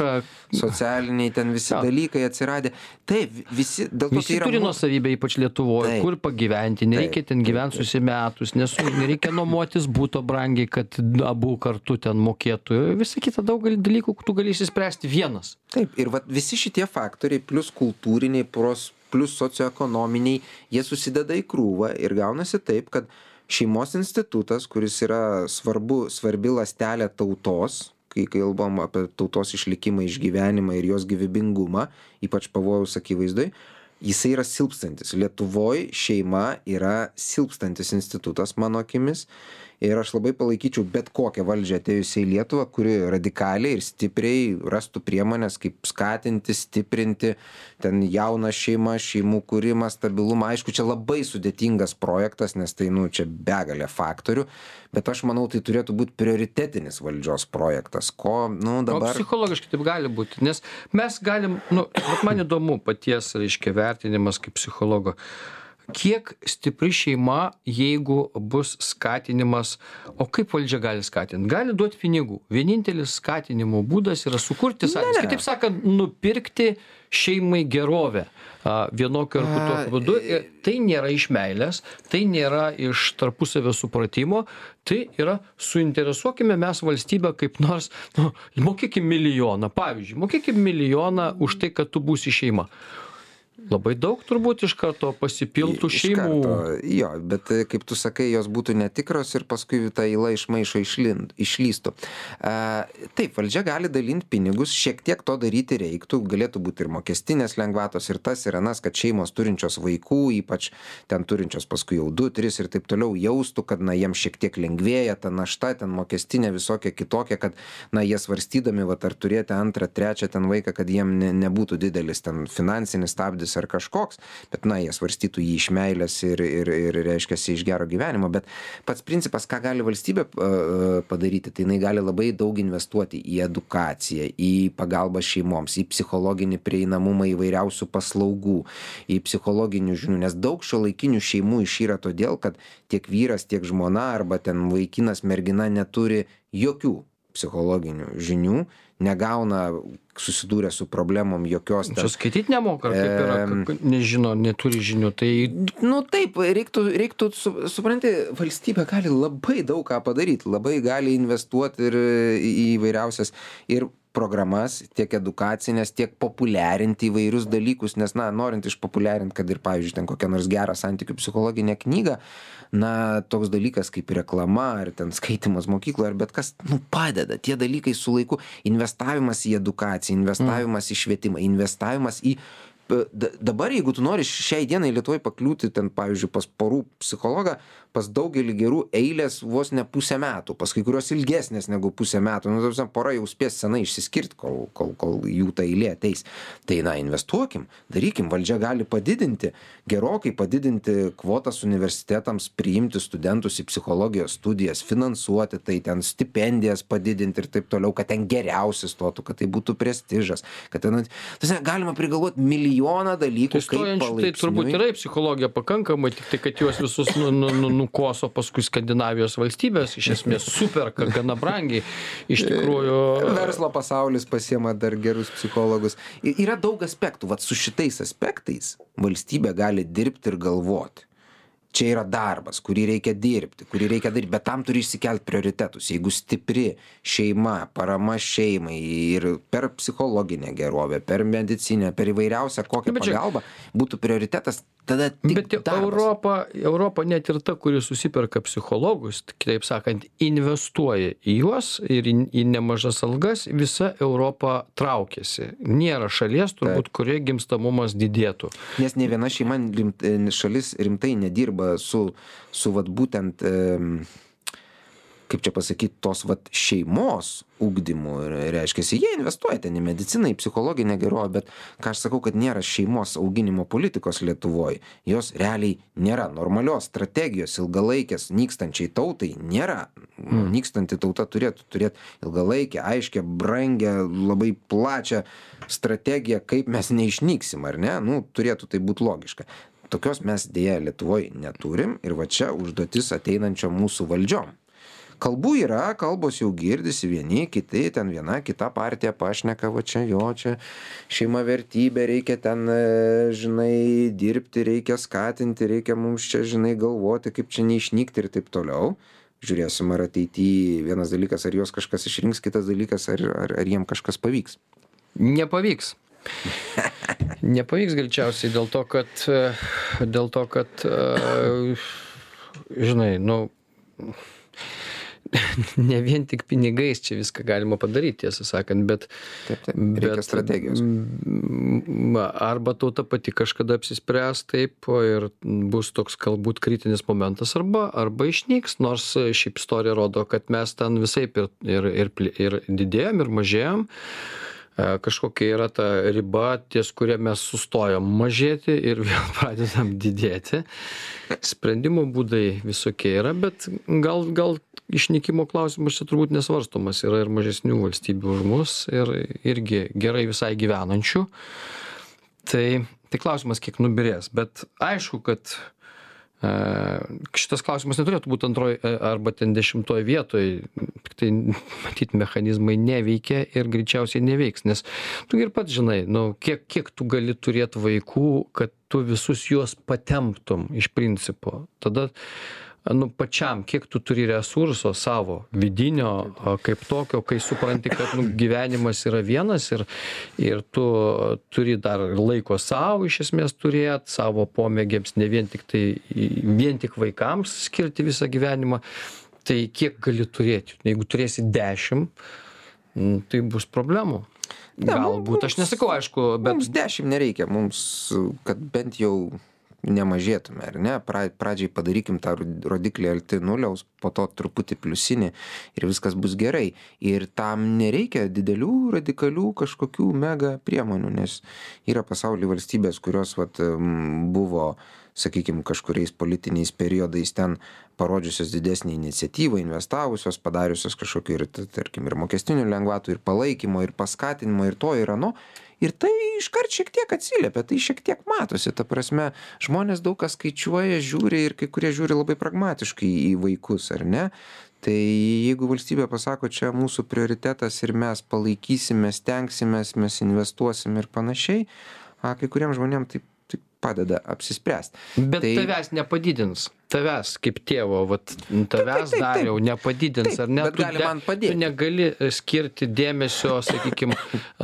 socialiniai ten visi ja. dalykai atsiradė. Taip, visi, dėl to visi tai yra... turi nuosavybę, ypač Lietuvoje, kur pagyventi, nereikia taip, ten gyventi susimetus, nesu, nereikia nuomotis būto brangiai, kad abu kartu ten mokėtų. Visa kita daug dalykų, tu gali išsispręsti vienas. Taip, ir va, visi šitie faktoriai, plus kultūriniai, pros plus socioekonominiai, jie susideda į krūvą ir gaunasi taip, kad šeimos institutas, kuris yra svarbu, svarbi ląstelė tautos, kai kalbam apie tautos išlikimą, išgyvenimą ir jos gyvybingumą, ypač pavojaus akivaizdoj, jisai yra silpstantis. Lietuvoj šeima yra silpstantis institutas, mano akimis. Ir aš labai palaikyčiau bet kokią valdžią atėjusią į Lietuvą, kuri radikaliai ir stipriai rastų priemonės, kaip skatinti, stiprinti ten jauną šeimą, šeimų kūrimą, stabilumą. Aišku, čia labai sudėtingas projektas, nes tai, nu, čia begalė faktorių, bet aš manau, tai turėtų būti prioritetinis valdžios projektas. Ko, nu, dabar... O psichologiškai taip gali būti, nes mes galim, nu, man įdomu paties, reiškia, vertinimas kaip psichologo. Kiek stipri šeima, jeigu bus skatinimas, o kaip valdžia gali skatinti? Gali duoti pinigų. Vienintelis skatinimo būdas yra sukurti sąlygas. Kitaip sakant, nupirkti šeimai gerovę vienokiu ar kitokiu būdu. Tai nėra iš meilės, tai nėra iš tarpusavio supratimo, tai yra suinteresuokime mes valstybę kaip nors, nu, mokėkim milijoną. Pavyzdžiui, mokėkim milijoną už tai, kad tu būsi šeima. Labai daug turbūt iš karto pasipiltų šeimų. Karto, jo, bet kaip tu sakai, jos būtų netikros ir paskui ta įla iš maišo išlind, išlystų. A, taip, valdžia gali dalinti pinigus, šiek tiek to daryti reiktų, galėtų būti ir mokestinės lengvatos ir tas ir anas, kad šeimos turinčios vaikų, ypač ten turinčios paskui jau du, tris ir taip toliau jaustų, kad na, jiems šiek tiek lengvėja ta našta, ten mokestinė visokia kitokia, kad na, jie svarstydami, va, ar turėti antrą, trečią ten vaiką, kad jiem ne, nebūtų didelis ten finansinis stabdis ar kažkoks, bet na, jie svarstytų jį iš meilės ir, ir, ir reiškiasi iš gero gyvenimo, bet pats principas, ką gali valstybė padaryti, tai jinai gali labai daug investuoti į edukaciją, į pagalbą šeimoms, į psichologinį prieinamumą įvairiausių paslaugų, į psichologinių žinių, nes daug šiuolaikinių šeimų išyra todėl, kad tiek vyras, tiek žmona arba ten vaikinas, mergina neturi jokių psichologinių žinių, negauna susidūrę su problemom jokios. Čia skaityti nemoka, ar kaip yra, e, nežino, neturi žinių. Tai... Nu taip, reiktų, reiktų su, supranti, valstybė gali labai daug ką padaryti, labai gali investuoti ir į įvairiausias ir programas, tiek edukacinės, tiek populiarinti įvairius dalykus, nes, na, norint išpopuliarinti, kad ir, pavyzdžiui, ten kokią nors gerą santykių psichologinę knygą, na, toks dalykas kaip reklama, ar ten skaitimas mokykloje, ar bet kas, nu, padeda. Tie dalykai su laiku, investavimas į edukaciją, investavimas į švietimą, investavimas į dabar, jeigu tu nori šiai dienai Lietuvoje pakliūti ten, pavyzdžiui, pas porų psichologą, pas daugelį gerų eilės vos ne pusę metų, pas kai kurios ilgesnės negu pusę metų. Nu, tarsi, pora jau spės senai išsiskirti, kol, kol, kol jų ta eilė ateis. Tai, na, investuokim, darykim, valdžia gali padidinti, gerokai padidinti kvotas universitetams, priimti studentus į psichologijos studijas, finansuoti, tai ten stipendijas padidinti ir taip toliau, kad ten geriausias stotų, kad tai būtų prestižas, kad ten, tarsi, galima prigalvoti milijoną dalykų, tai kaip palaipsniui. Tai turbūt yra psichologija pakankamai, tik tai, kad juos visus nu, nu, nu, nukoso paskui Skandinavijos valstybės, iš esmės superka gana brangiai. Iš tikrųjų... Verslo pasaulis pasiema dar gerus psichologus. Ir yra daug aspektų. Vat su šitais aspektais valstybė gali dirbti ir galvoti. Čia yra darbas, kurį reikia dirbti, kurį reikia daryti, bet tam turi išsikelti prioritetus. Jeigu stipri šeima, parama šeimai ir per psichologinę gerovę, per medicinę, per įvairiausią kokią pagalbą būtų prioritetas, tada tik bet darbas. Europa, Europa net ir ta, kuri susiperka psichologus, kitaip sakant, investuoja į juos ir į, į nemažas algas, visa Europa traukiasi. Nėra šalies, turbūt, kurie gimstamumas didėtų. Nes ne viena šeima, šalis rimtai nedirba su, su vat būtent, kaip čia pasakyti, tos vat šeimos ugdymu. Reiškiasi, jie investuoja ten į mediciną, į psichologinę gerovę, bet ką aš sakau, kad nėra šeimos auginimo politikos Lietuvoje. Jos realiai nėra. Normalios strategijos ilgalaikės nykstančiai tautai nėra. Mm. Nykstanti tauta turėtų turėti ilgalaikę, aiškę, brangę, labai plačią strategiją, kaip mes neišnyksim, ar ne? Nu, turėtų tai būti logiška. Tokios mes dėja Lietuvoje neturim ir va čia užduotis ateinančio mūsų valdžiom. Kalbų yra, kalbos jau girdisi vieni, kiti, ten viena, kita partija pašneka, va čia jo, čia šeima vertybė, reikia ten, žinai, dirbti, reikia skatinti, reikia mums čia, žinai, galvoti, kaip čia neišnykti ir taip toliau. Žiūrėsim, ar ateityje vienas dalykas, ar jos kažkas išrinks, kitas dalykas, ar, ar, ar jiem kažkas pavyks. Nepavyks. Nepavyks greičiausiai dėl to, kad, dėl to, kad, žinai, nu, ne vien tik pinigais čia viską galima padaryti, tiesą sakant, bet... Taip, taip, reikia bet, strategijos. Arba tauta pati kažkada apsispręs taip ir bus toks galbūt kritinis momentas, arba, arba išnyks, nors šiaip istorija rodo, kad mes ten visaip ir, ir, ir, ir didėjom, ir mažėjom. Kažkokia yra ta riba, ties kurie mes sustojom mažėti ir vėl pradedam didėti. Sprendimo būdai visokie yra, bet gal, gal išnykimo klausimas čia turbūt nesvarstomas. Yra ir mažesnių valstybių už mus ir irgi gerai visai gyvenančių. Tai, tai klausimas, kiek nubirės. Bet aišku, kad šitas klausimas neturėtų būti antroj arba ten dešimtoj vietoj, tik tai matyt mechanizmai neveikia ir greičiausiai neveiks, nes tu ir pats žinai, nu, kiek, kiek tu gali turėti vaikų, kad tu visus juos patemptum iš principo. Tada nu, pačiam, kiek tu turi resurso savo vidinio kaip tokio, kai supranti, kad nu, gyvenimas yra vienas ir, ir tu turi dar laiko savo iš esmės turėti, savo pomėgiams, ne vien tik, tai, vien tik vaikams skirti visą gyvenimą, tai kiek gali turėti. Jeigu turėsi dešimt, tai bus problemų. Galbūt, aš nesakau, aišku, bet... Mums dešimt nereikia, mums, kad bent jau nemažėtume, ar ne? Pradžiai padarykim tą rodiklį arti nuliaus, po to truputį pliusinį ir viskas bus gerai. Ir tam nereikia didelių, radikalių kažkokių mega priemonių, nes yra pasaulyje valstybės, kurios vat, buvo, sakykime, kažkuriais politiniais periodais ten parodžiusios didesnį iniciatyvą, investavusios, padariusios kažkokį ir, tarkim, ir mokestinių lengvatų, ir palaikymo, ir paskatinimo, ir to, ir ano. Ir tai iškart šiek tiek atsiliepia, tai šiek tiek matosi, ta prasme, žmonės daug kas skaičiuoja, žiūri ir kai kurie žiūri labai pragmatiškai į vaikus, ar ne? Tai jeigu valstybė pasako, čia mūsų prioritetas ir mes palaikysime, stengsimės, mes investuosim ir panašiai, a, kai kuriems žmonėms tai, tai padeda apsispręsti. Bet tai... tavęs nepadidins. Tavęs kaip tėvo, vat, tavęs dariau, nepadidins, taip, ar ne? Bet tu, gali man padėti. Tu negali skirti dėmesio, sakykime,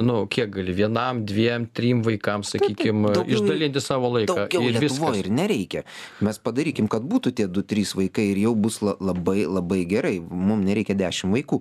nu, kiek gali, vienam, dviem, trim vaikams, sakykime, išdalinti savo laiką. Daugiau ir Lietuvoje ir nereikia. Mes padarykim, kad būtų tie du trys vaikai ir jau bus labai, labai gerai. Mums nereikia dešimt vaikų.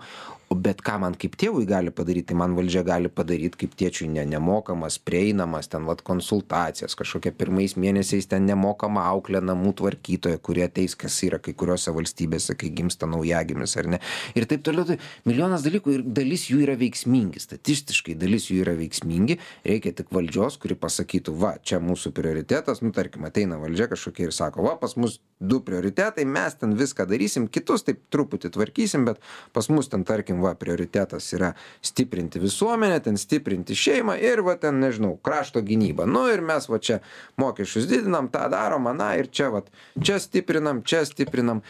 Bet ką man kaip tėvui gali padaryti, tai man valdžia gali padaryti kaip tėčiui ne, nemokamas, prieinamas, ten vat konsultacijas, kažkokia pirmais mėnesiais ten nemokama auklė namų tvarkytoja, kurie ateis, kas yra kai kuriuose valstybėse, kai gimsta naujagimis ar ne. Ir taip toliau, tai milijonas dalykų ir dalis jų yra veiksmingi, statistiškai dalis jų yra veiksmingi, reikia tik valdžios, kuri pasakytų, va, čia mūsų prioritetas, nu tarkim, ateina valdžia kažkokia ir sako, va, pas mus du prioritetai, mes ten viską darysim, kitus taip truputį tvarkysim, bet pas mus ten, tarkim, va, prioritetas yra stiprinti visuomenę, ten stiprinti šeimą ir va ten, nežinau, krašto gynybą. Nu ir mes va čia mokesčius didinam, tą darom, na ir čia va, čia stiprinam, čia stiprinam.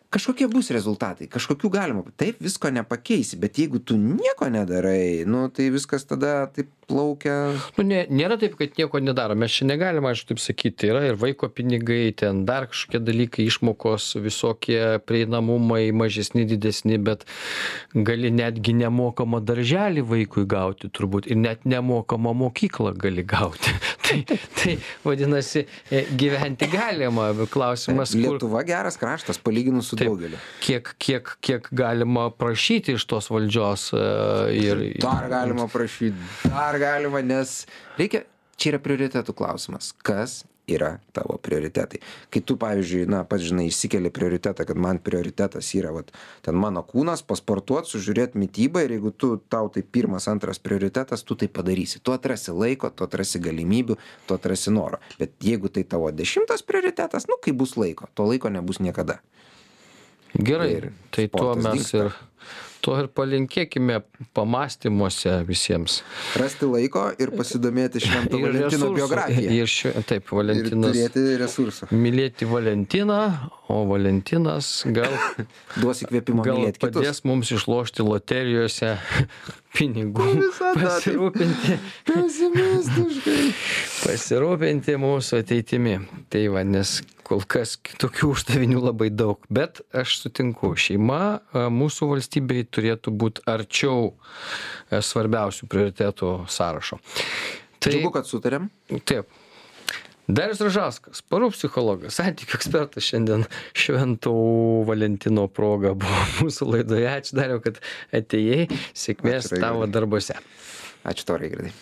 Kažkokie bus rezultatai, kažkokių galima. Taip visko nepakeisi, bet jeigu tu nieko nedarai, nu tai viskas tada taip plaukia. Nu, ne, nėra taip, kad nieko nedaro. Mes čia negalime, aišku, taip sakyti. Yra ir vaiko pinigai, ten dar kažkokie dalykai, išmokos, visokie prieinamumai, mažesni, didesni, bet gali netgi nemokamą darželį vaikui gauti turbūt ir net nemokamą mokyklą gali gauti. tai, tai vadinasi, gyventi galima. Klausimas, kur... Lietuva geras kraštas, palyginus su daugeliu. Kiek, kiek, kiek galima prašyti iš tos valdžios uh, ir... Dar galima prašyti, dar galima, nes reikia, čia yra prioritetų klausimas. Kas yra tavo prioritetai? Kai tu, pavyzdžiui, na, pats žinai, išsikeli prioritetą, kad man prioritetas yra, vat, ten mano kūnas, pasportuot, sužiūrėti mitybą ir jeigu tu, tau tai pirmas, antras prioritetas, tu tai padarysi. Tu atrasi laiko, tu atrasi galimybių, tu atrasi noro. Bet jeigu tai tavo dešimtas prioritetas, nu, kai bus laiko, to laiko nebus niekada. Gerai, ir tai tuo mes dingsta. ir, tuo ir palinkėkime pamąstymuose visiems. Rasti laiko ir pasidomėti Švento Valentino biografiją. Ir ši, taip, Valentinas. Ir turėti resursų. Mylėti Valentiną, o Valentinas gal, duos įkvėpimo gal mylėti kitus. Padės mums išlošti loterijose pinigų. Pasirūpinti. Pesimistiškai. Pasirūpinti mūsų ateitimi. Tai va, nes kol kas tokių uždavinių labai daug. Bet aš sutinku, šeima mūsų valstybei turėtų būti arčiau svarbiausių prioritetų sąrašo. Tai, Džiugu, kad sutarėm. Taip. Darius Ražauskas, porų psichologas, santykių ekspertas šiandien Švento Valentino proga buvo mūsų laidoje. Ačiū, Dariau, kad atėjai. Sėkmės tavo darbuose. Ačiū tau, Raigardai.